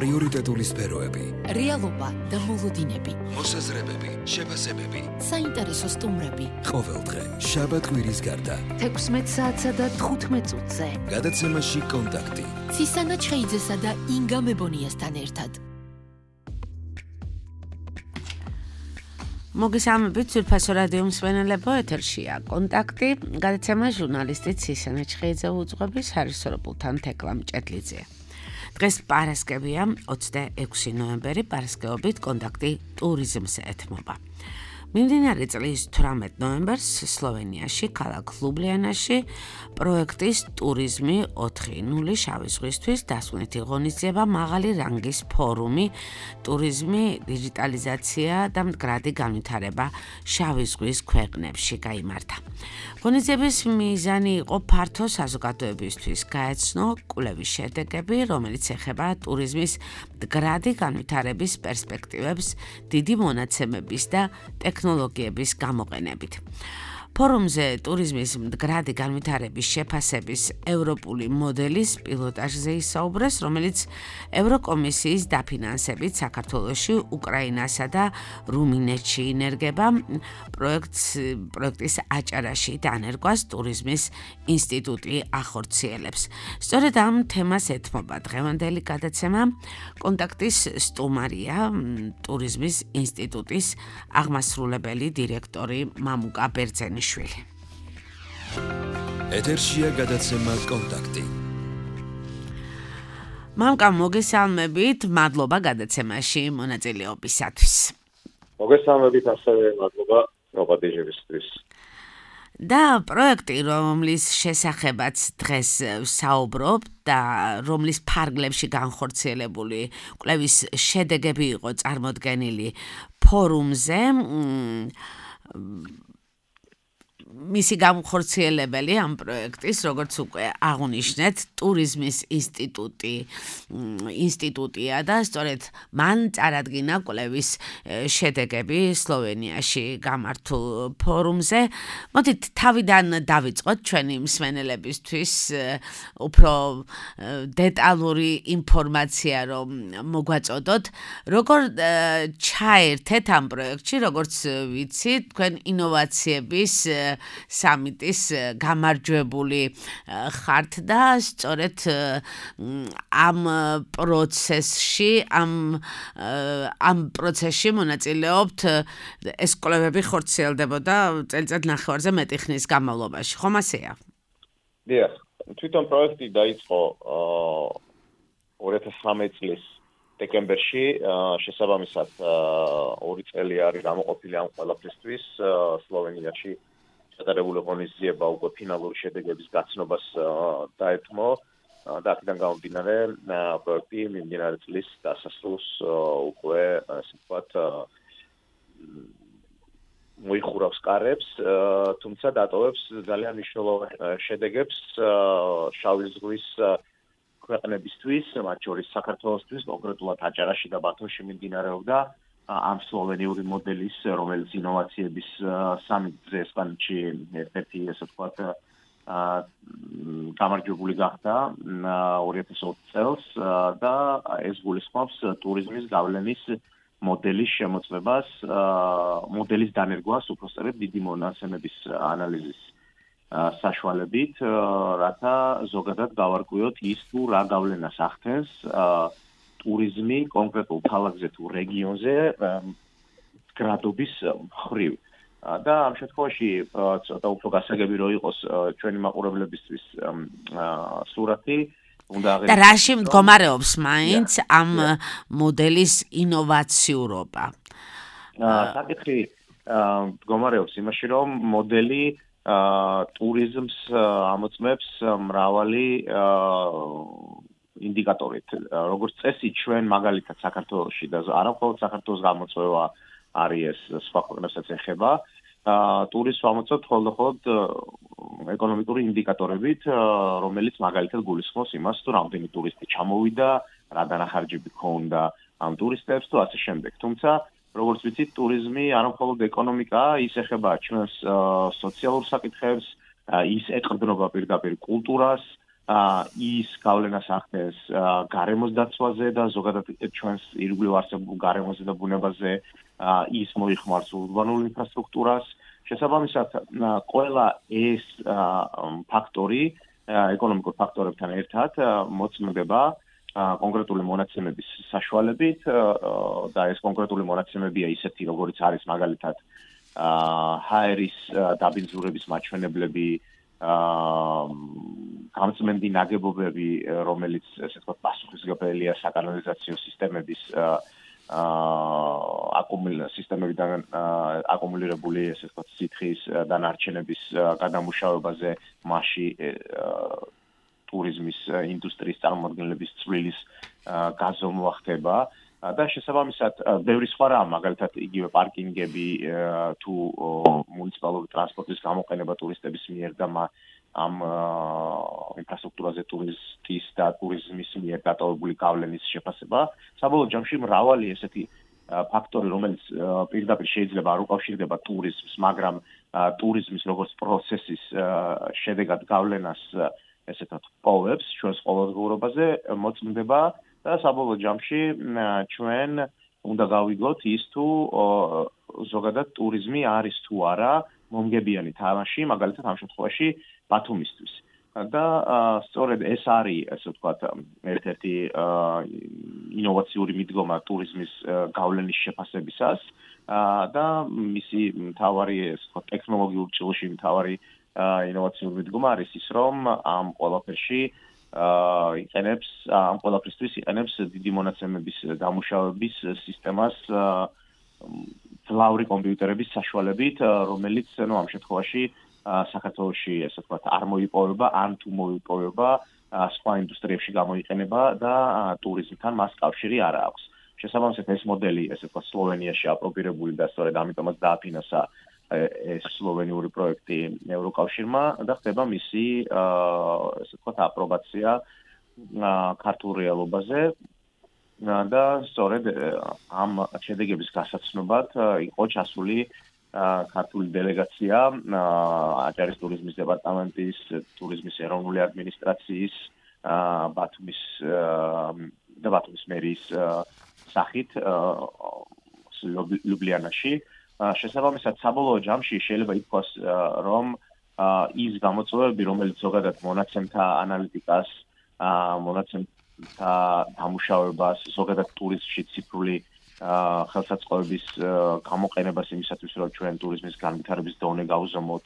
პრიორიტეტული სფეროები, რეალობა და მოლოდინები, მოსაზრებები, შეფასებები, საინტერესო სტუმრები. ყოველდღე, შაბათ-კვირის გარდა, 16 საათსა და 15 წუთზე. გადაცემაში კონტაქტი. ცისანა ჩხეიძესა და ინგა მებონიასთან ერთად. მოგესალმებით, ძვირფასო რადიო მსმენელებო, ეთერშია კონტაქტი, გადაცემა ჟურნალისტი ცისანა ჩხეიძე უძღვების ჰარისოროპულთან თეკლამ ჭედლიძე. დღეს პარასკევია, 26 ნოემბერი, პარასკევობით კონტაქტი ტურიზმს ეთმობა. მიმდინარე წლის 18 ნოემბერს სლოვენიაში, ქალაქ ლუბლიანაში პროექტის ტურიზმი 4.0 შავი ზღვისთვის დასვენითი ღონისძიება მაღალი რანგის ფორუმი ტურიზმი, დიჯიტალიზაცია და მდგრადი განვითარება შავი ზღვის ქვეყნებში გაიმართა. ღონისძიების მიზანი იყო ფართო საზოგადოებისთვის გაეცნო კვლევის შედეგები, რომელიც ეხება ტურიზმის მდგრადი განვითარების პერსპექტივებს დიდი მონაცემების და ტექნოლოგიების გამოყენებით. ფორუმზე ტურიზმის მდგრადი განვითარების შეფასების ევროპული მოდელის პილოტაჟზე ისაუბრეს, რომელიც ევროკომისიის დაფინანსებით საქართველოში, უკრაინასა და რუმინეთში ინერგება. პროექტის აჭარაში დანერგვას ტურიზმის ინსტიტუტი ახორციელებს. სწორედ ამ თემას ეთმობა დღევანდელი გადაცემა. კონტაქტის სტუმარია ტურიზმის ინსტიტუტის აღმასრულებელი დირექტორი მამუკა ბერძენიშვილი. ეთერშია გადაცემა კონტაქტი. მამუკა, მოგესალმებით, მადლობა გადაცემაში მონაწილეობისათვის. მოგესალმებით, ასევე მადლობა პროპაგანდისტისთვის. და პროექტი, რომლის შესახებაც დღეს საუბრობ და რომლის ფარგლებში განხორციელებული კვლევის შედეგები იყო წარმოდგენილი ფორუმზე, მისი განხორციელებელი ამ პროექტის, როგორც უკვე აღნიშნეთ, ტურიზმის ინსტიტუტია და სწორედ მან წარადგინა კვლევის შედეგები სლოვენიაში გამართულ ფორუმზე. მოდით თავიდან დავიწყოთ ჩვენი მსმენელებისთვის უფრო დეტალური ინფორმაცია რომ მოგვაწოდოთ, როგორ ჩაერთეთ ამ პროექტში, როგორც ვიცი, თქვენ ინოვაციების სამიტის გამარჯვებული ხართ და სწორედ ამ პროცესში მონაწილეობთ. ეს კვლევები ხორციელდებოდა წელიწად ნახევარზე მეტი ხნის განმავლობაში, ხომ ასეა? დიახ, თვითონ პროექტი დაიწყო 2013 წლის დეკემბერში, შესაბამისად 2 წელი არის გამოყოფილი ამ ყველაფრისთვის სლოვენიაში. გადარებული ღონისძიება უკვე ფინალური შედეგების გაცნობას დაეთმო და აქედან გამომდინარე პროექტი მიმდინარე წლის დასასრულს უკვე ასე ვთქვათ მოიხურავს კარებს, თუმცა დატოვებს ძალიან მნიშვნელოვან შედეგებს შავი ზღვის ქვეყნებისთვის, მათ შორის საქართველოსთვის, კონკრეტულად აჭარაში და ბათუმში მიმდინარეობდა ამ სლოვენიური მოდელის, რომელიც ინოვაციების სამიტზე ესპანეთში ერთ-ერთი ასე ვთქვათ გამარჯვებული გახდა 2020 წელს და ეს გულისხმობს ტურიზმის გავლენის მოდელის შემოწმებას, მოდელის დანერგვას, უпроსტად დიდი მონაცემების ანალიზის საშუალებით, რათა ზოგადად გავარკვიოთ ის თუ რა გავლენას ახდენს ტურიზმი კონკრეტულ ქალაქზე თუ რეგიონზე გრადობის მხრივ. და ამ შემთხვევაში ცოტა უფრო გასაგები რო იყოს ჩვენი მაყურებლებისთვის სურათი, უნდა და რაში მდგომარეობს მაინც ამ მოდელის ინოვაციურობა? საკითხი მდგომარეობს იმაში, რომ მოდელი ტურიზმს ამოწმებს მრავალი ინდიკატორით. როგორც წესი, ჩვენ მაგალითად საქართველოში და არა მხოლოდ საქართველოს გამოწვევა არის ეს, სხვა ქვეყნებსაც ეხება. ტურიზმს ვამოწმებთ მხოლოდ ეკონომიკური ინდიკატორებით, რომელიც მაგალითად გულისხმობს იმას, თუ რამდენი ტურისტი ჩამოვიდა, რა დანახარჯები ჰქონდა ამ ტურისტებს თუ ასე შემდეგ. თუმცა, როგორც ვიცით, ტურიზმი არა მხოლოდ ეკონომიკაა, ის ეხება ჩვენს სოციალურ საკითხებს, ის ეყრდნობა პირდაპირ კულტურას, ის გავლენას ახდენს გარემოს დაცვაზე და ზოგადად ჩვენს ირგვლივ არსებულ გარემოზე და ბუნებაზე, ის მოიხმარს ურბანულ ინფრასტრუქტურას. შესაბამისად, ყველა ეს ფაქტორი ეკონომიკურ ფაქტორებთან ერთად მოწმდება კონკრეტული მონაცემების საშუალებით და ეს კონკრეტული მონაცემებია ისეთი, როგორიც არის მაგალითად ჰაერის დაბინძურების მაჩვენებლები, გამწმენდი ნაგებობები, რომელიც ესე ვთქვათ პასუხისმგებელია საკანალიზაციო სისტემების სისტემებიდან აკუმულირებული ესე ვთქვათ სითხის დანარჩენების გადამუშავებაზე, მასში ტურიზმის ინდუსტრიის წარმომადგენლების წვლილის გაზომვა ხდება და შესაბამისად ბევრი სხვა რამ, მაგალითად იგივე პარკინგები თუ მუნიციპალური ტრანსპორტის გამოყენება ტურისტების მიერ და ამ ინფრასტრუქტურაზე ტურისტის და ტურიზმის მიერ დატოვებული გავლენის შეფასება. საბოლოო ჯამში მრავალი ესეთი ფაქტორი, რომელიც პირდაპირ შეიძლება არ უკავშირდება ტურიზმს, მაგრამ ტურიზმის როგორც პროცესის შედეგად გავლენას ესე ვთქვათ, პოვებს ჩვენს ყოველდღიურობაზე, მოწმდება და საბოლოო ჯამში ჩვენ უნდა გავიგოთ ის თუ ზოგადად ტურიზმი არის თუ არა მომგებიანი თამაში, მაგალითად ამ შემთხვევაში ბათუმისთვის. და სწორედ ეს არის, ესე ვთქვათ, ერთ-ერთი ინოვაციური მიდგომა ტურიზმის გავლენის შეფასებისას და მისი მთავარი, ესე ვთქვათ, ტექნოლოგიურ ჭრილში მთავარი ინოვაციური მიდგომა არის ის, რომ ამ ყველაფერში ამ ყველაფრისთვის იყენებს დიდი მონაცემების დამუშავების სისტემას ძლავრი კომპიუტერების საშუალებით, რომელიც ამ შემთხვევაში საქართველოში, ესე ვთქვათ, არ მოიპოვება, ან თუ მოიპოვება, სხვა ინდუსტრიებში გამოიყენება და ტურიზმთან მას კავშირი არ აქვს. შესაბამისად, ეს მოდელი, ესე ვთქვათ, სლოვენიაში აპრობირებული და სწორედ ამიტომაც დააფინანსა ეს სლოვენიური პროექტი ევროკავშირმა და ხდება მისი, ესე ვთქვათ, აპრობაცია ქართულ რეალობაზე და სწორედ ამ შედეგების გასაცნობად იყო ჩასული ქართული დელეგაცია აჭარის ტურიზმის დეპარტამენტის, ტურიზმის ეროვნული ადმინისტრაციის, ბათუმის მერიის სახით ლიუბლიანაში. შესაბამისად, საბოლოო ჯამში შეიძლება ითქვას, რომ ის გამოწვევები, რომელიც ზოგადად მონაცემთა ანალიტიკას, მონაცემთა დამუშავებას, ზოგადად ტურიზმში ციფრული ხელსაწყოების გამოყენებას იმისათვის, რომ ჩვენ ტურიზმის განვითარების დონე გავზომოთ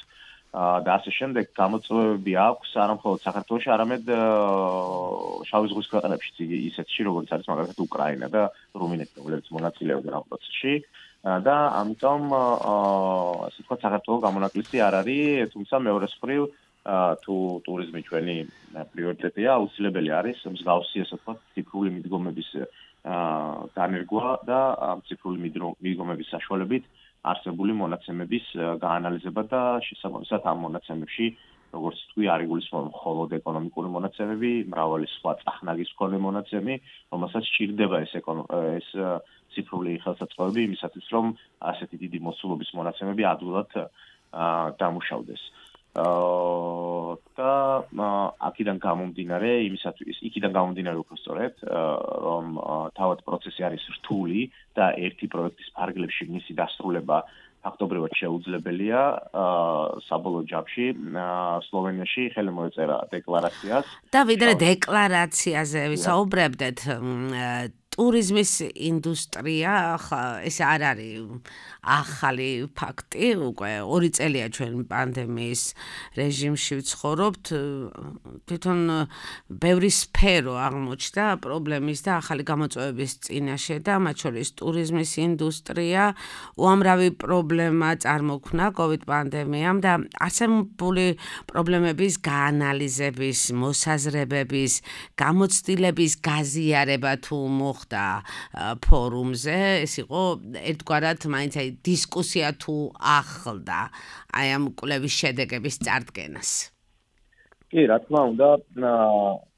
და ასე შემდეგ გამოწვევები აქვს არა მხოლოდ საქართველოში, არამედ შავი ზღვის ქვეყნებშიც, ისეთში, როგორც არის მაგალითად უკრაინა და რუმინეთი, რომლებიც მონაწილეობენ ამ პროცესში. და ამიტომ ასე ვთქვათ, საქართველოს გამონაკლისი არ არის, თუმცა მეორე მხრივ თუ ტურიზმი ჩვენი პრიორიტეტია, აუცილებელი არის მსგავსი, ასე ვთქვათ, ციფრული მიდგომების განერგვა და ციფრული მიდგომების საშუალებით არსებული მონაცემების გაანალიზება და შესაბამისად ამ მონაცემებში, როგორც თქვი, არ იგულისხმება მხოლოდ ეკონომიკური მონაცემები, მრავალი სხვა წახნაგის მქონე მონაცემი, რომელსაც სჭირდება ეს ციფრული ხელსაწყოები იმისათვის, რომ ასეთი დიდი მოსულობის მონაცემები ადვილად დამუშავდეს. და იქიდან გამომდინარე უფრო სწორედ, რომ თავად პროცესი არის რთული და ერთი პროექტის ფარგლებში მისი დასრულება ფაქტობრივად შეუძლებელია. საბოლოო ჯამში სლოვენიაში ხელი მოეწერა დეკლარაციას. და ვიდრე დეკლარაციაზე ვისაუბრებდეთ, ტურიზმის ინდუსტრია ეს არ არის ახალი ფაქტი, უკვე 2 წელია ჩვენ პანდემიის რეჟიმში ვცხოვრობთ, თვითონ ბევრი სფერო აღმოჩნდა პრობლემის და ახალი გამოწვევების წინაშე და მათ შორის ტურიზმის ინდუსტრია უამრავი პრობლემა წარმოქმნა COVID პანდემიამ და არსებული პრობლემების გაანალიზების, მოსაზრებების, გამოცდილების გაზიარება თუ მოხდა ფორუმზე, ეს იყო ერთგვარად მაინც დისკუსია თუ ახლდა აი ამ კვლევის შედეგების წარდგენას. კი, რა თქმა უნდა,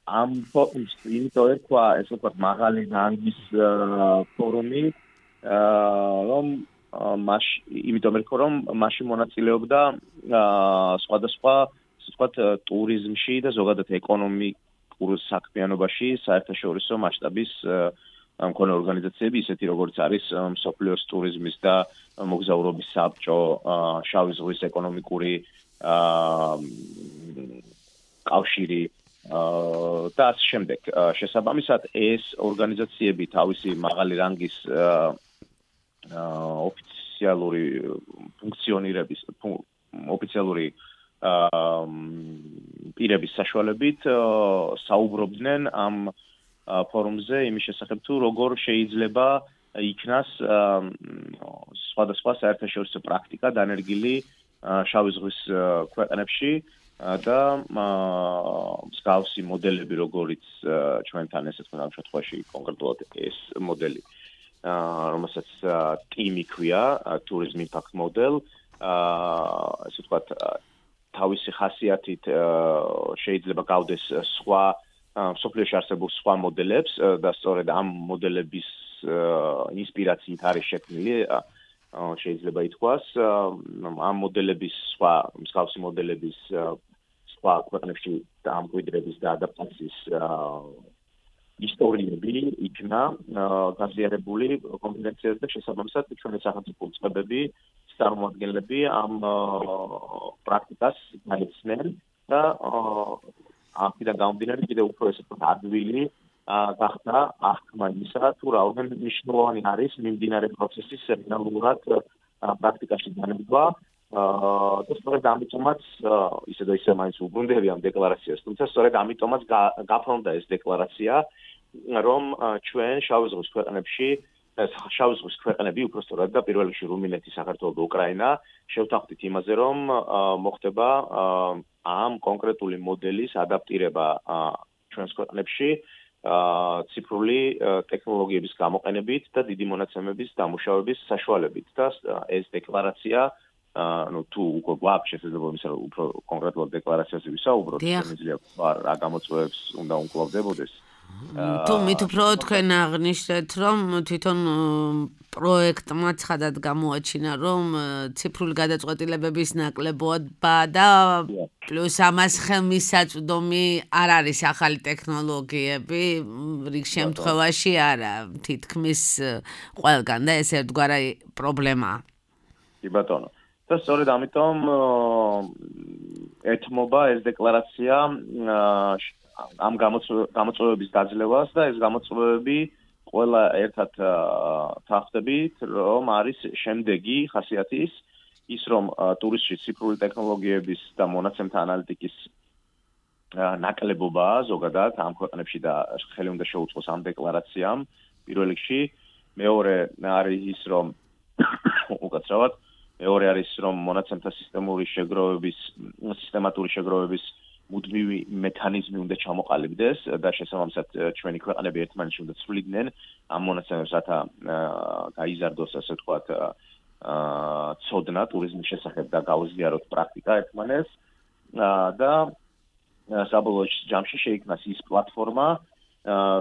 ამ ფორუმს იმიტომ ერქვა, ესე ვთქვათ, მაღალი რანგის ფორუმი, რომ იმიტომ ერქვა, რომ მასში მონაწილეობდა სხვადასხვა ასე ვთქვათ, ტურიზმში და ზოგადად ეკონომიკურ საქმიანობაში საერთაშორისო მასშტაბის მქონე ორგანიზაციები, ისეთი როგორც არის მსოფლიოს ტურიზმის და მოგზაურობის საბჭო, შავი ზღვის ეკონომიკური კავშირი და ასე შემდეგ. შესაბამისად, ეს ორგანიზაციები თავისი მაღალი რანგის ოფიციალური ფუნქციონირების ოფიციალური პირების საშუალებით საუბრობდნენ ამ ფორუმზე იმის შესახებ თუ როგორ შეიძლება იქნას სხვადასხვა საერთაშორისო პრაქტიკა დანერგილი შავი ზღვის ქვეყნებში და მსგავსი მოდელები, როგორიც ჩვენთან ესე თქვა ამ შემთხვევაში კონკრეტულად ეს მოდელი, რომელსაც TIMI ქვია, Tourism Impact Model, ესე ვთქვათ, თავისი ხასიათით შეიძლება გავდეს სხვა მსოფლიოში არსებულ სხვა მოდელებს და სწორედ ამ მოდელების ინსპირაციით არის შექმნილი, შეიძლება ითქვას, ამ მოდელების სხვა მსგავსი მოდელების სხვა ქვეყნებში დამკვიდრების და ადაპტაციის ისტორიები იქნა გაზიარებული კონფერენციაზე და შესაბამისად ჩვენი სახელმწიფო წყებები, წარმომადგენლები ამ პრაქტიკას განიცდნენ და ამიდან გამომდინარე კიდევ უფრო ესე ვთქვათ ადვილი გახდა აღქმა იმისა, თუ რაოდენობით მნიშვნელოვანი არის მიმდინარე პროცესის რეალურად პრაქტიკაში განებვა და სწორედ ამიტომაც ისე და ისე მაინც უბრუნდები ამ დეკლარაციას, თუმცა სწორედ ამიტომაც გაფორმდა ეს დეკლარაცია, რომ ჩვენ შავი ზღვის ქვეყნებში შავი ზღვის ქვეყნები უფრო სწორად და პირველ რიგში რუმინეთი, საქართველო და უკრაინა შევთანხმდით იმაზე, რომ მოხდება ამ კონკრეტული მოდელის ადაპტირება ჩვენს ქვეყნებში ციფრული ტექნოლოგიების გამოყენებით და დიდი მონაცემების დამუშავების საშუალებით და ეს დეკლარაცია თუ უკვე გვაქვს შესაძლებლობა იმისა, რომ უფრო კონკრეტულად დეკლარაციაზე ვისაუბროთ, შემიძლია რა გამოწვევებს უნდა უმკლავდებოდეს. თუ მით უფრო თქვენ აღნიშნეთ, რომ თვითონ პროექტმა ცხადად გამოაჩინა, რომ ციფრული გადაწყვეტილებების ნაკლებობა და პლუს ამას ხელმისაწვდომი არ არის ახალი ტექნოლოგიები, რიგ შემთხვევაში არა, თითქმის ყველგან და ეს ერთგვარი პრობლემაა. კი ბატონო. და სწორედ ამიტომ ეთმობა ეს დეკლარაცია ამ გამოწვევების დაძლევას და ეს გამოწვევები ყველა ერთად თანხმდებით, რომ არის შემდეგი ხასიათის ის, რომ ტურიზმში ციფრული ტექნოლოგიების და მონაცემთა ანალიტიკის ნაკლებობაა ზოგადად ამ ქვეყნებში და ხელი უნდა შეუწყოს ამ დეკლარაციამ პირველ რიგში. მეორე არის ის, რომ უკაცრავად მეორე არის, რომ მონაცემთა სისტემატური შეგროვების მუდმივი მექანიზმი უნდა ჩამოყალიბდეს და შესაბამისად ჩვენი ქვეყნები ერთმანეთში უნდა ცვლიდნენ ამ მონაცემებს, რათა გაიზარდოს, ასე ვთქვათ, ცოდნა ტურიზმის შესახებ და გაუზიაროთ პრაქტიკა ერთმანეთს და საბოლოო ჯამში შეიქმნას ის პლატფორმა,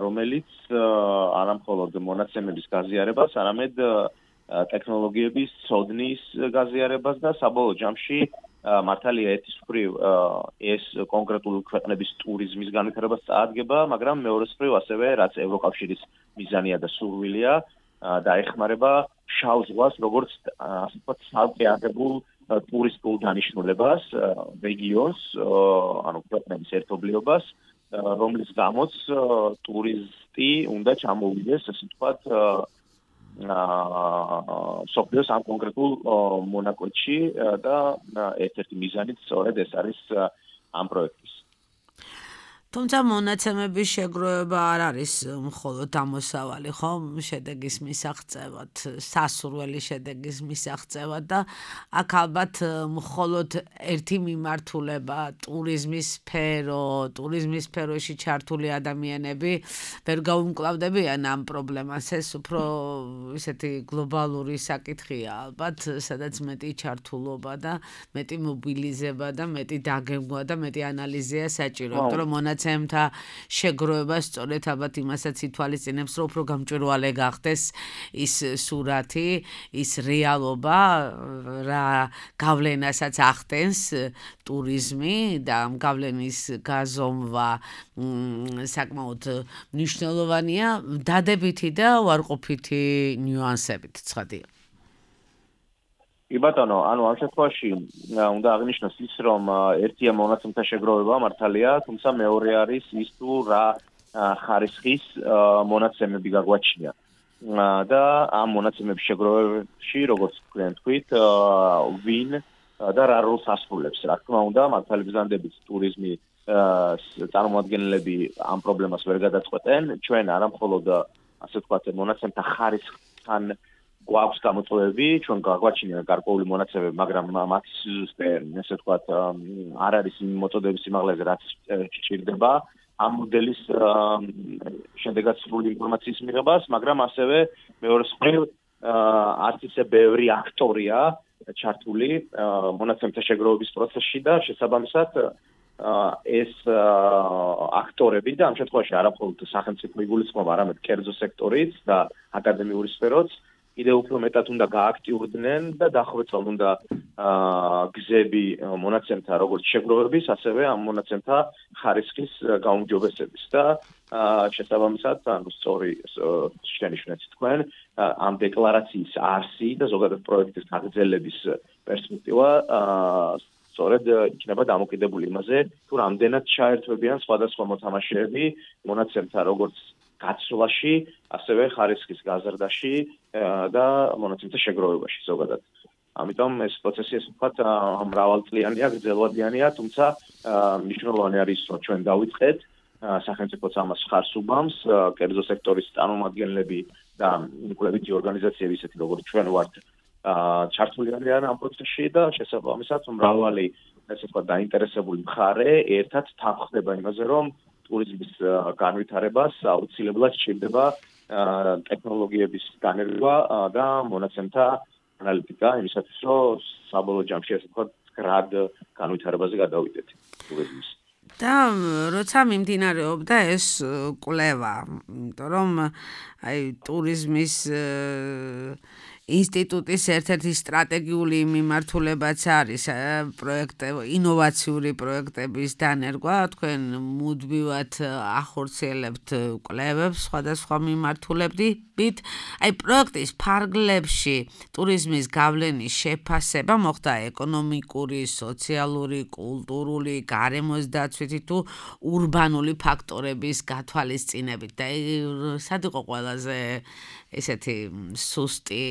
რომელიც არა მხოლოდ მონაცემების გაზიარებას, არამედ ტექნოლოგიების ცოდნის გაზიარებას და საბოლოო ჯამში მართალია ერთის მხრივ ეს კონკრეტული ქვეყნების ტურიზმის განვითარებას წაადგება, მაგრამ მეორეს მხრივ ასევე რაც ევროკავშირის მიზანია და სურვილია დაეხმარება შავ ზღვას როგორც ასე ვთქვათ სალყეაღებულ ტურისტულ დანიშნულებას, რეგიონს, ანუ ქვეყნების ერთობლიობას, რომლის გამოც ტურისტი უნდა ჩამოვიდეს, ასე ვთქვათ, მსოფლიოს ამ კონკრეტულ მონაკვეთში და ერთ-ერთი მიზანიც სწორედ ეს არის ამ პროექტის. თუმცა მონაცემების შეგროვება არ არის მხოლოდ ამოსავალი, ხო? შედეგის მისაღწევად, სასურველი შედეგის მისაღწევად და აქ ალბათ მხოლოდ ერთი მიმართულება ტურიზმის სფეროში ჩართული ადამიანები ვერ გაუმკლავდებიან ამ პრობლემას. ეს უფრო ისეთი გლობალური საკითხია ალბათ, სადაც მეტი ჩართულობა და მეტი მობილიზება და მეტი დაგეგმვა და მეტი ანალიზია საჭირო, იმიტომ რომ მონაცემთა შეგროვება სწორედ ალბათ იმასაც ითვალისწინებს, რომ უფრო გამჭვირვალე გახდეს ის სურათი, ის რეალობა, რა გავლენასაც ახდენს ტურიზმი და ამ გავლენის გაზომვა საკმაოდ მნიშვნელოვანია დადებითი და უარყოფითი ნიუანსებით, ცხადია. კი ბატონო, ანუ ამ შემთხვევაში უნდა აღნიშნოს ის, რომ ერთია მონაცემთა შეგროვება მართალია, თუმცა მეორე არის ის თუ რა ხარისხის მონაცემები გაგვაჩნია. და ამ მონაცემების შეგროვებაში, როგორც თქვით, ვინ და რა როლს ასრულებს. რა თქმა უნდა, მართალი ბრძანდებით ტურიზმი წარმოადგენლები ამ პრობლემას ვერ გადაწყვეტენ. ჩვენ არა მხოლოდ ასე ვთქვათ, მონაცემთა ხარისხთან გვაქვს გამოწვევები, ჩვენ გაგვაჩნია გარკვეული მონაცემები, მაგრამ მათი სიზუსტე, ასე ვთქვათ, არ არის იმ მოწოდების სიმაღლეზე, რაც სჭირდება ამ მოდელის შედეგად სრული ინფორმაციის მიღებას, მაგრამ ასევე მეორე მხრივ არც ისე ბევრი აქტორია ჩართული მონაცემთა შეგროვების პროცესში და შესაბამისად ეს აქტორები და ამ შემთხვევაში არა მხოლოდ სახელმწიფო იგულისხმობა, არამედ კერძო სექტორიც და აკადემიური სფეროც კიდევ უფრო მეტად უნდა გააქტიურდნენ და დახვეწონ უნდა გზები მონაცემთა როგორც შეგროვების, ასევე ამ მონაცემთა ხარისხის გაუმჯობესების და შესაბამისად, ანუ სწორი შენიშვნით თქვენ, ამ დეკლარაციის არსი და ზოგადად პროექტის გაგრძელების პერსპექტივა სწორედ იქნება დამოკიდებული იმაზე, თუ რამდენად ჩაერთვებიან სხვადასხვა მოთამაშეები მონაცემთა როგორც გაცვლაში, ასევე ხარისხის გაზრდაში და მონაცემთა შეგროვებაში ზოგადად. ამიტომ ეს პროცესი, ასე ვთქვათ, მრავალწლიანია, გრძელვადიანია, თუმცა მნიშვნელოვანი არის, რომ ჩვენ დავიწყეთ, სახელმწიფოც ამას ხარს უბამს, კერძო სექტორის წარმომადგენლები და კვლევითი ორგანიზაციები, ისეთი როგორც ჩვენ ვართ, ჩართული არიან ამ პროცესში და შესაბამისად მრავალი, ასე ვთქვათ, დაინტერესებული მხარე ერთად თანხმდება იმაზე, რომ ტურიზმის განვითარებას აუცილებლად სჭირდება ტექნოლოგიების განერგვა და მონაცემთა ანალიტიკა, იმისათვის, რომ საბოლოო ჯამში, ასე ვთქვათ, გრად განვითარებაზე გადავიდეთ ტურიზმის. და როცა მიმდინარეობდა ეს კვლევა, იმიტომ რომ აი ტურიზმის ინსტიტუტის ერთ-ერთი სტრატეგიული მიმართულებაც არის პროექტები, ინოვაციური პროექტების დანერგვა, თქვენ მუდმივად ახორციელებთ კვლევებს სხვადასხვა მიმართულებით. აი პროექტის ფარგლებში ტურიზმის გავლენის შეფასება მოხდა ეკონომიკური, სოციალური, კულტურული, გარემოს დაცვითი თუ ურბანული ფაქტორების გათვალისწინებით. და სად იყო ყველაზე ესეთი სუსტი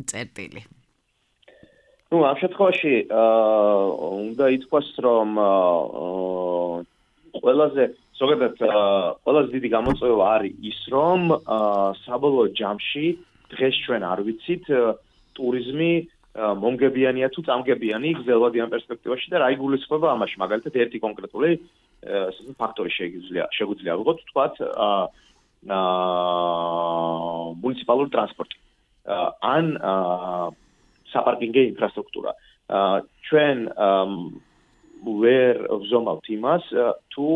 წერტილი? ამ შემთხვევაში უნდა ითქვას, რომ ყველაზე დიდი გამოწვევა არის ის, რომ საბოლოო ჯამში დღეს ჩვენ არ ვიცით ტურიზმი მომგებიანია თუ წამგებიანი გრძელვადიან პერსპექტივაში და რა იგულისხმება ამაში. მაგალითად, ერთი კონკრეტული ფაქტორი შეგვიძლია ვიღოთ, ვთქვათ, მუნიციპალური ტრანსპორტი ან საპარკინგო ინფრასტრუქტურა. ჩვენ ვერ ვზომავთ იმას, თუ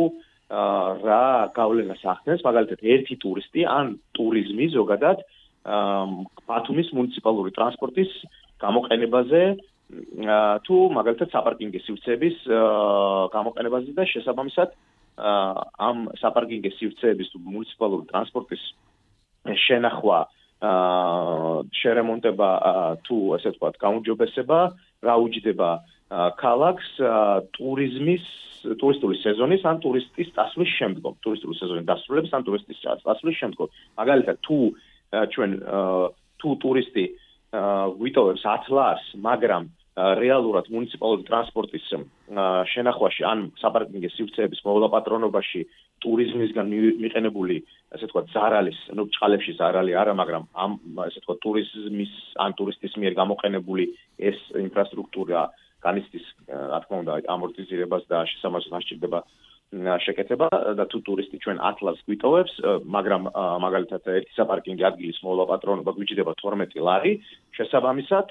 რა გავლენას ახდენს მაგალითად ერთი ტურისტი ან ტურიზმი ზოგადად ბათუმის მუნიციპალური ტრანსპორტის გამოყენებაზე თუ მაგალითად საპარკინგო სივრცეების გამოყენებაზე და შესაბამისად ამ საპარკინგო სივრცეების თუ მუნიციპალური ტრანსპორტის შენახვა შერემონტება თუ ასე ვთქვათ გაუმჯობესება რა უჯდება ქალაქს ტურისტული სეზონის ან ტურისტის დასვლის შემდგომ ტურისტული სეზონის დასრულების ან ტურისტის დასვლის შემდგომ მაგალითად თუ ჩვენ თუ ტურისტი ვიტოვებს 10 ლარს მაგრამ რეალურად მუნიციპალური ტრანსპორტის შენახვაში ან საპარკინგო სივრცეების მოვლა-პატრონობაში ტურიზმისგან მიყენებული ასე ვთქვათ ზარალის, ну ჭყალებში ზარალი არა, მაგრამ ამ ასე ვთქვათ ტურიზმის ან ტურისტის მიერ გამოყენებული ეს ინფრასტრუქტურა განიცდის, რა თქმა უნდა, ამორტიზირებას და შესაბამისად აღჭირდება შეკეთება და თუ ტურისტი ჩვენ 10 ლარს გვიტოვებს, მაგრამ მაგალითად ერთი საპარკინგო ადგილის მოვლა-პატრონობა გვიჭდება 12 ლარი, შესაბამისად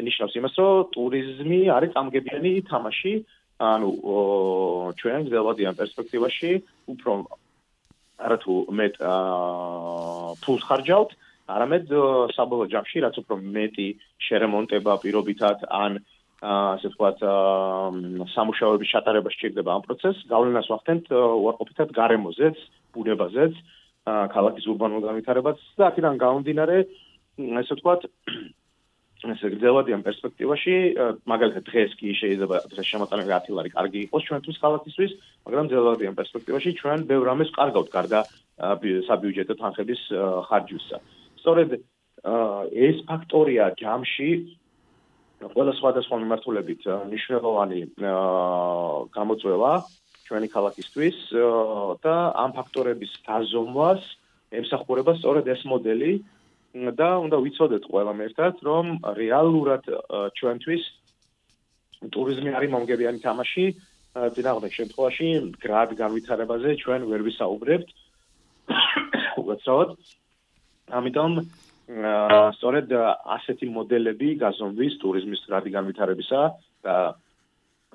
ნიშნავს იმას, რომ ტურიზმი არის წამგებიანი თამაში ანუ ჩვენ გრძელვადიან პერსპექტივაში უფრო არათუ მეტ ფულს ხარჯავთ, არამედ საბოლოო ჯამში რაც უფრო მეტი შერემონტება პირობითად ან ასე ვთქვათ სამუშაოების ჩატარება სჭირდება ამ პროცესს, გავლენას ვახდენთ უარყოფითად გარემოზეც, ბუნებაზეც, ქალაქის ურბანულ განვითარებაც და აქედან გამომდინარე, ასე ვთქვათ, ესე გრძელვადიან პერსპექტივაში, მაგალითად დღეს კი შეიძლება დღეს შემოწმებული 10 ლარი კარგი იყოს ჩვენთვის ქალაქისთვის, მაგრამ გრძელვადიან პერსპექტივაში ჩვენ ბევრ რამეს ვკარგავთ გარდა საბიუჯეტო თანხების ხარჯვისა. სწორედ ეს ფაქტორია ჯამში ყველა სხვადასხვა მიმართულებით მნიშვნელოვანი გამოწვევა ჩვენი ქალაქისთვის და ამ ფაქტორების დაზომვას ემსახურება სწორედ ეს მოდელი და უნდა ვიცოდეთ ყველამ ერთად, რომ რეალურად ჩვენთვის ტურიზმი არის მომგებიანი თამაში, წინააღმდეგ შემთხვევაში მდგრად განვითარებაზე ჩვენ ვერ ვისაუბრებთ. უცბად. ამიტომ სწორედ ასეთი მოდელები გაზომვის ტურიზმის მდგრადი განვითარებისა და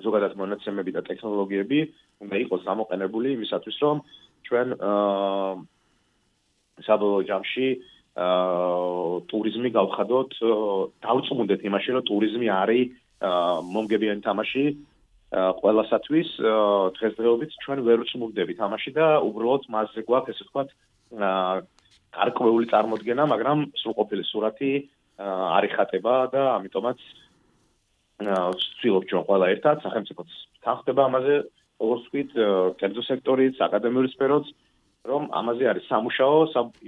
ზოგადად მონაცემები და ტექნოლოგიები უნდა იყოს გამოყენებული იმისათვის, რომ ჩვენ საბოლოო ჯამში ტურიზმი გავხადოთ, დავწმუნდეთ იმაში, რომ ტურიზმი არის მომგებიანი თამაში ყველასათვის, დღესდღეობით ჩვენ ვერ ვწმუნდებით ამაში და უბრალოდ მასზე გვაქვს, ესე ვთქვათ, გარკვეული წარმოდგენა, მაგრამ სრულყოფილი სურათი არ იხატება და ამიტომაც ვცდილობ ჩვენ ყველა ერთად სახელმწიფოც თანხდება ამაზე, როგორც ვთქვით, კერძო სექტორიც, აკადემიური სფეროც, რომ ამაზე არის სამუშაო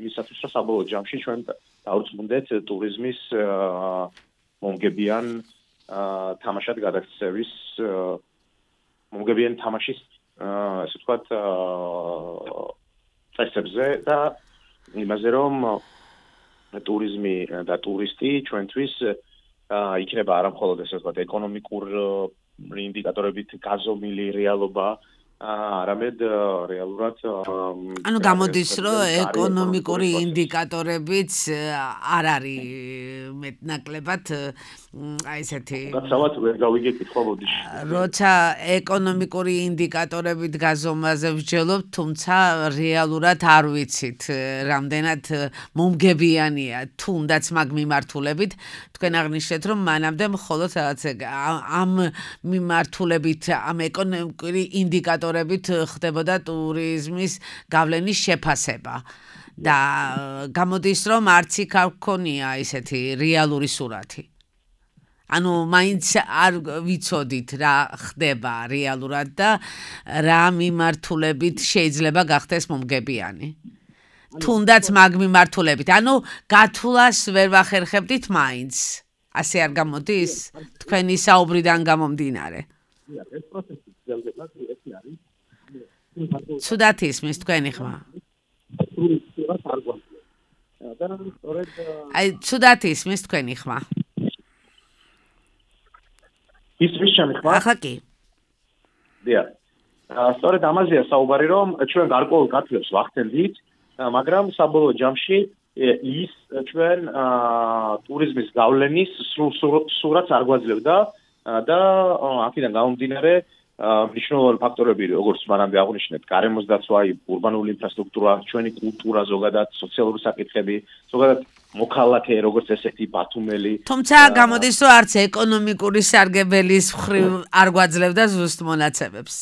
იმისათვის, რომ საბოლოო ჯამში ჩვენ დავწმუნდეთ ტურიზმის მომგებიან თამაშად გადაქცევის მომგებიანი თამაშის ასე ვთქვათ წესებზე და იმაზე, რომ ტურიზმი და ტურისტი ჩვენთვის იქნება არა მხოლოდ ესე ვთქვათ ეკონომიკური ინდიკატორებით გაზომილი რეალობა, არამედ რეალურად ანუ გამოდის, რომ ეკონომიკური ინდიკატორებიც არ არის მეტნაკლებად აი ესეთი გაცავად ვერ გავიგეთ ხო ბოდიში. როცა ეკონომიკური ინდიკატორებით გაზომაზე ვჯელობ, თუმცა რეალურად არ ვიცით, რამდენად მომგებიანია თუნდაც მაგ მიმართულებით, თქვენ აღნიშნეთ, რომ მანამდე მხოლოდ რაღაც ამ მიმართულებით, ამ ეკონომიკური ინდიკატორებით ხდებოდა ტურიზმის გავლენის შეფასება და გამოდის, რომ არც იქ არ გქონია ესეთი რეალური სურათი. ანუ მაინც არ ვიცოდით რა ხდება რეალურად და რა მიმართულებით შეიძლება გახდეს მომგებიანი. თუნდაც მაგ მიმართულებით. ანუ გათვლას ვერ ვახერხებდით მაინც. ასე არ გამოდის? თქვენი საუბრიდან გამომდინარე. ეს პროცესი გრძელდება, ეს არის. ცუდად ისმის თქვენი ხმა. აი, ცუდად ისმის თქვენი ხმა. ისმის ჩემი ხმა? ახლა კი. დიახ. სწორედ ამაზეა საუბარი, რომ ჩვენ გარკვეულ გათვლებს ვახდენდით, მაგრამ საბოლოო ჯამში ის ჩვენ ტურიზმის გავლენის სურათს არ გვაძლევდა და აქედან გამომდინარე მნიშვნელოვანი ფაქტორები, როგორც მანამდე აღვნიშნეთ, გარემოს დაცვა, ურბანული ინფრასტრუქტურა, ჩვენი კულტურა, ზოგადად სოციალური საკითხები, ზოგადად მოქალაქე, როგორც ესეთი ბათუმელი. თუმცა გამოდის, რომ არც ეკონომიკური სარგებელის მხრივ არ გვაძლევდა ზუსტ მონაცემებს.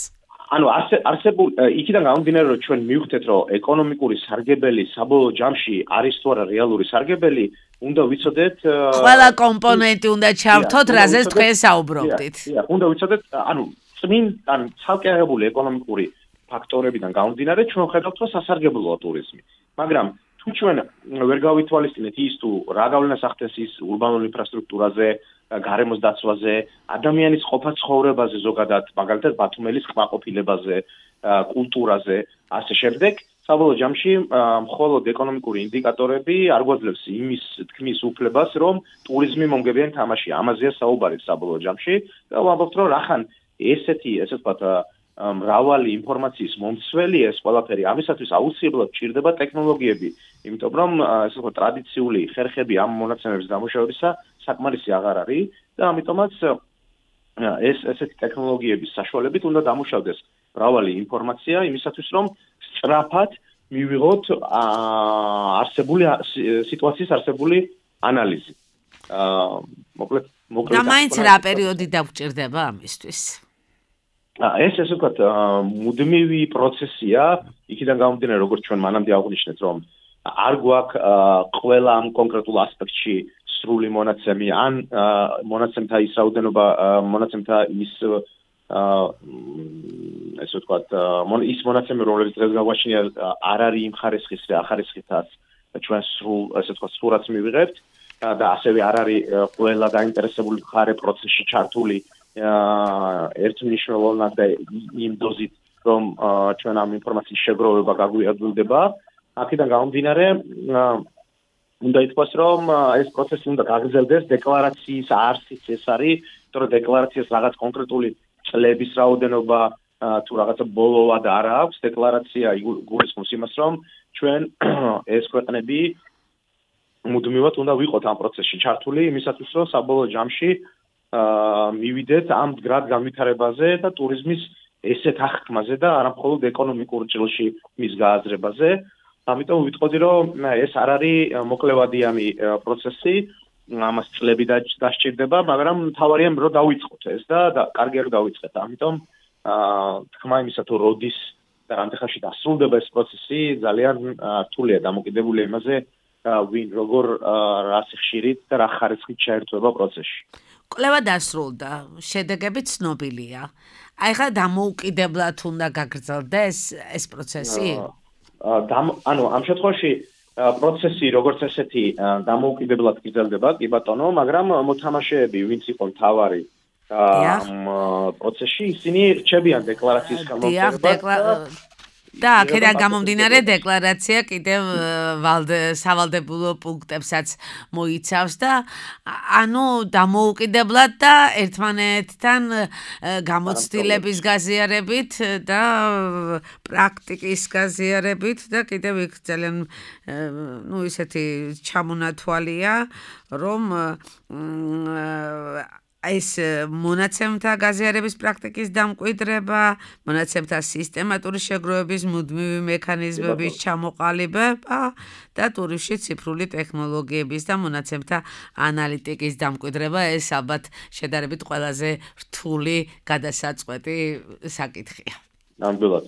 ანუ არსებულ იქიდან გამომდინარე, რომ ჩვენ მივხვდეთ, რომ ეკონომიკური სარგებელი საბოლოო ჯამში არის თუ არა რეალური სარგებელი, უნდა ვიცოდეთ ყველა კომპონენტი უნდა ჩავთოთ, რაზეც თქვენ საუბრობდით. დიახ, უნდა ვიცოდეთ, ანუ წმინდან ცალკე აღებული ეკონომიკური ფაქტორებიდან გამომდინარე, ჩვენ ხედავთ, რომ სასარგებლოა ტურიზმი. მაგრამ თუ ჩვენ ვერ გავითვალისწინეთ ის თუ რა გავლენას ახდენს ის ურბანულ ინფრასტრუქტურაზე, გარემოს დაცვაზე, ადამიანის ყოფა ცხოვრებაზე ზოგადად, მაგალითად ბათუმელის კმაყოფილებაზე, კულტურაზე, ასე შემდეგ, საბოლოო ჯამში მხოლოდ ეკონომიკური ინდიკატორები არ გვაძლევს იმის თქმის უფლებას, რომ ტურიზმი მომგებიანი თამაშია. ამაზეა საუბარი საბოლოო ჯამში და ვამბობთ, რომ რახან ესეთი, ესე ვთქვათ, მრავალი ინფორმაციის მომცველი ეს ყველაფერი, ამისათვის აუცილებლად ჭირდება ტექნოლოგიები, იმიტომ რომ ესე ვთქვათ, ტრადიციული ხერხები ამ მონაცემების დამუშავებისა საკმარისი აღარ არის და ამიტომაც ესეთი ტექნოლოგიების საშუალებით უნდა დამუშავდეს მრავალი ინფორმაცია იმისათვის, რომ სწრაფად მივიღოთ არსებული სიტუაციის არსებული ანალიზი. მოკლედ და მაინც რა პერიოდი დაგჭირდება ამისთვის? ეს ესე ვთქვათ, მუდმივი პროცესია, იქიდან გამომდინარე, როგორც ჩვენ მანამდე აღვნიშნეთ, რომ არ გვაქვს ყველა ამ კონკრეტულ ასპექტში სრული მონაცემი, ან მონაცემთა ის რაოდენობა, მონაცემთა ის ესე ვთქვათ, ის მონაცემი, რომელიც დღეს გაგვაჩნია, არ არის იმ ხარისხის და ახარისხითაც ჩვენ სრულ, ესე ვთქვათ, სურათს მივიღებთ და ასევე არ არის ყველა დაინტერესებული მხარე პროცესში ჩართული ერთმნიშვნელოვნად და იმ დოზით, რომ ჩვენ ამ ინფორმაციის შეგროვება გაგვიადვილდება. აქედან გამომდინარე, უნდა ითქვას, რომ ეს პროცესი უნდა გაგრძელდეს, დეკლარაციის არსიც ეს არის, იმიტომ რომ დეკლარაციას რაღაც კონკრეტული წლების რაოდენობა თუ რაღაცა ბოლოვად არ აქვს, დეკლარაცია გულისხმობს იმას, რომ ჩვენ ეს ქვეყნები მუდმივად უნდა ვიყოთ ამ პროცესში ჩართული, იმისათვის, რომ საბოლოო ჯამში მივიდეთ ამ მდგრად განვითარებაზე და ტურიზმის ესეთ აღქმაზე და არა მხოლოდ ეკონომიკურ ჭრილში მის გააზრებაზე. ამიტომ ვიტყოდი, რომ ეს არ არის მოკლევადიანი პროცესი, ამას წლები დასჭირდება, მაგრამ მთავარია რომ დავიწყოთ ეს და კარგია რომ დავიწყეთ. ამიტომ თქმა იმისა, თუ როდის და რამდენ ხანში დასრულდება ეს პროცესი, ძალიან რთულია დამოკიდებული იმაზე, ვინ როგორ რა სიხშირით და რა ხარისხით ჩაერთვება პროცესში. კვლევა დასრულდა, შედეგები ცნობილია. აი ხა დამოუკიდებლად უნდა გაგრძელდეს ეს პროცესი? ანუ ამ შემთხვევაში პროცესი როგორც ესეთი დამოუკიდებლად გრძელდება, კი ბატონო, მაგრამ მოთამაშეები, ვინც იყო მთავარი ამ პროცესში, ისინი რჩებიან დეკლარაციის გამოყენებას. და აქედან გამომდინარე დეკლარაცია კიდევ სავალდებულო პუნქტებსაც მოიცავს და ანუ დამოუკიდებლად და ერთმანეთთან გამოცდილების გაზიარებით და პრაქტიკის გაზიარებით და კიდევ იქ ძალიან ისეთი ჩამონათვალია, რომ ეს მონაცემთა გაზიარების პრაქტიკის დამკვიდრება, მონაცემთა სისტემატური შეგროვების მუდმივი მექანიზმების ჩამოყალიბება და ტურიზმში ციფრული ტექნოლოგიების და მონაცემთა ანალიტიკის დამკვიდრება, ეს ალბათ შედარებით ყველაზე რთული გადასაწყვეტი საკითხია. ნამდვილად.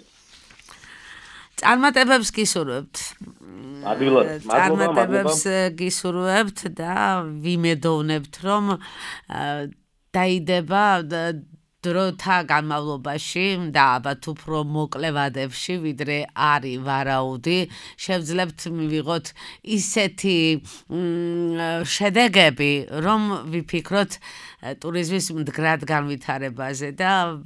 წარმატებებს გისურვებთ. ადვილად, წარმატებებს გისურვებთ და ვიმედოვნებთ, რომ დაიდება დროთა განმავლობაში და ალბათ უფრო მოკლე ვადებში, ვიდრე არის ვარაუდი, შევძლებთ მივიღოთ ისეთი შედეგები, რომ ვიფიქროთ ტურიზმის მდგრად განვითარებაზე და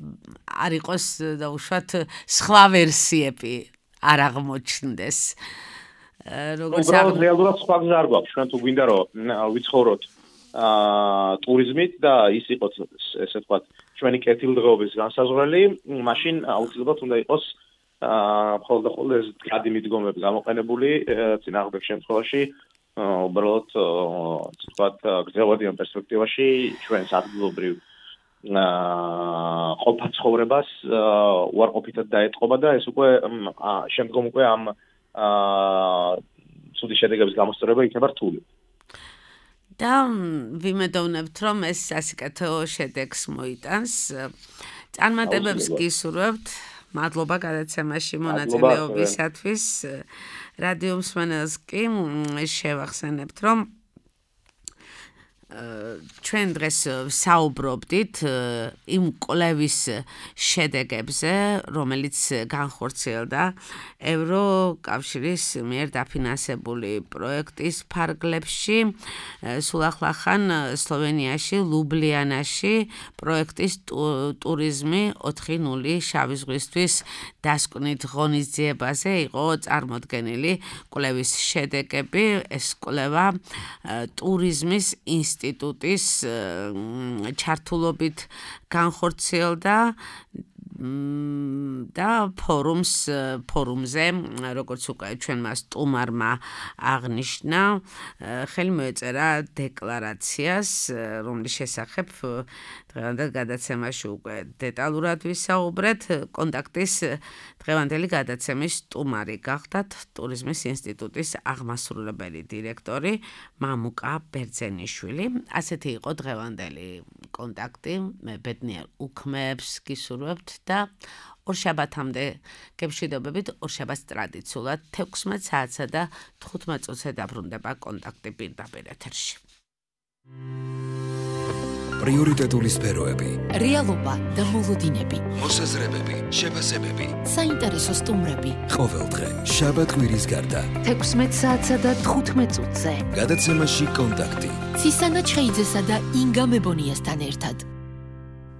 არ იყოს დაუშვათ სხვა ვერსიები არ აღმოჩნდეს. უბრალოდ რეალურად სხვა გზა არ გვაქვს, ჩვენ თუ გვინდა რომ ვიცხოვროთ ტურიზმით და ის იყოს ესე ვთქვათ ჩვენი კეთილდღეობის განსაზღვრელი, მაშინ აუცილებლად უნდა იყოს მხოლოდ ეს გადი მიდგომები გამოყენებული წინააღმდეგ შემთხვევაში უბრალოდ ასე ვთქვათ გრძელვადიან პერსპექტივაში ჩვენს ადგილობრივ ყოფა ცხოვრებას უარყოფითად დაეტყობა და ეს უკვე შემდგომ უკვე ამ ცუდი შედეგების გამოსწორება იქნება რთული. და ვიმედოვნებთ, რომ ეს სასიკეთო შედეგს მოიტანს. წარმატებებს გისურვებთ. მადლობა გადაცემაში მონაწილეობისათვის. რადიო მსმენელს კი შევახსენებთ, რომ ჩვენ დღეს საუბრობდით იმ კვლევის შედეგებზე, რომელიც განხორციელდა ევროკავშირის მიერ დაფინანსებული პროექტის ფარგლებში, სულ ახლახან სლოვენიაში, ლუბლიანაში პროექტის ტურიზმი 4.0 შავი ზღვისთვის დასკვნით ღონისძიებაზე იყო წარმოდგენილი კვლევის შედეგები. ეს კვლევა ტურიზმის ინსტიტუტის ჩართულობით განხორციელდა და ფორუმზე, როგორც უკვე ჩვენმა სტუმარმა აღნიშნა, ხელი მოეწერა დეკლარაციას, რომლის შესახებ დღევანდელ გადაცემაში უკვე დეტალურად ვისაუბრეთ. კონტაქტის დღევანდელი გადაცემის სტუმარი გახდათ ტურიზმის ინსტიტუტის აღმასრულებელი დირექტორი მამუკა ბერძენიშვილი. ასეთი იყო დღევანდელი კონტაქტი. მე ბედნიერ უქმეებს გისურვებთ და ორშაბათამდე გემშვიდობებით. ორშაბათს ტრადიციულად 16 საათსა და 15 წუთზე დაბრუნდება კონტაქტი პირდაპირ ეთერში. პრიორიტეტული სფეროები, რეალობა და მოლოდინები, მოსაზრებები, შეფასებები, საინტერესო სტუმრები. ყოველდღე შაბათ კვირის გარდა 16 საათსა და 15 წუთზე. გადაცემაში კონტაქტი. ცისანა ჩხეიძესა და ინგა მებონიასთან ერთად.